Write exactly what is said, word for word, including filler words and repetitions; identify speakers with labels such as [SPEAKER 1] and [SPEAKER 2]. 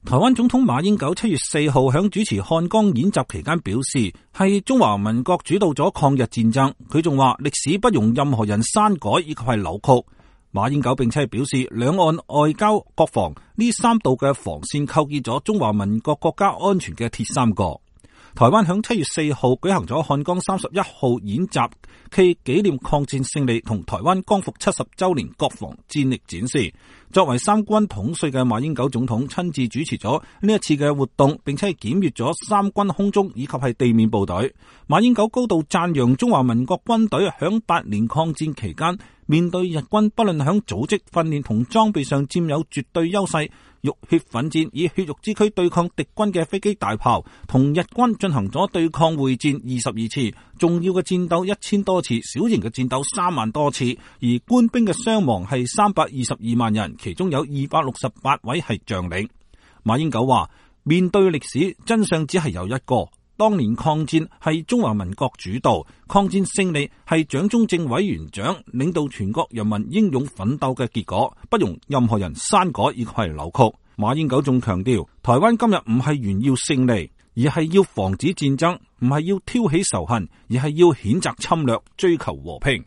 [SPEAKER 1] 台灣總統馬英九七月四號響主持漢江演習期間表示，係中華民國主導咗抗日戰爭。佢仲話歷史不容任何人刪改以及係扭曲。馬英九並且係表示，兩岸外交、國防呢三道嘅防線構建咗中華民國國家安全嘅鐵三角。台灣響七月四號舉行咗漢江三十一號演習暨紀念抗戰勝利同台灣光復七十周年國防戰力展示。作為三軍統帥嘅馬英九總統親自主持咗呢一次嘅活動，並且係檢閱咗三軍空中以及係地面部隊。馬英九高度讚揚中華民國軍隊響八年抗戰期間，面對日軍不論響組織訓練同裝備上佔有絕對優勢，浴血奮戰，以血肉之軀對抗敵軍嘅飛機大炮，同日軍進行咗對抗會戰二十二次，重要嘅戰鬥一千多次，小型嘅戰鬥三萬多次，而官兵嘅傷亡係三百二十二萬人，其中有二百六十八位係將領。馬英九話：面對歷史，真相只係有一個。當年抗戰係中華民國主導，抗戰勝利係蔣中正委員長領導全國人民英勇奮鬥嘅結果，不容任何人刪改以及係扭曲。馬英九仲強調，台灣今日唔係炫耀勝利，而係要防止戰爭，唔係要挑起仇恨，而係要譴責侵略，追求和平。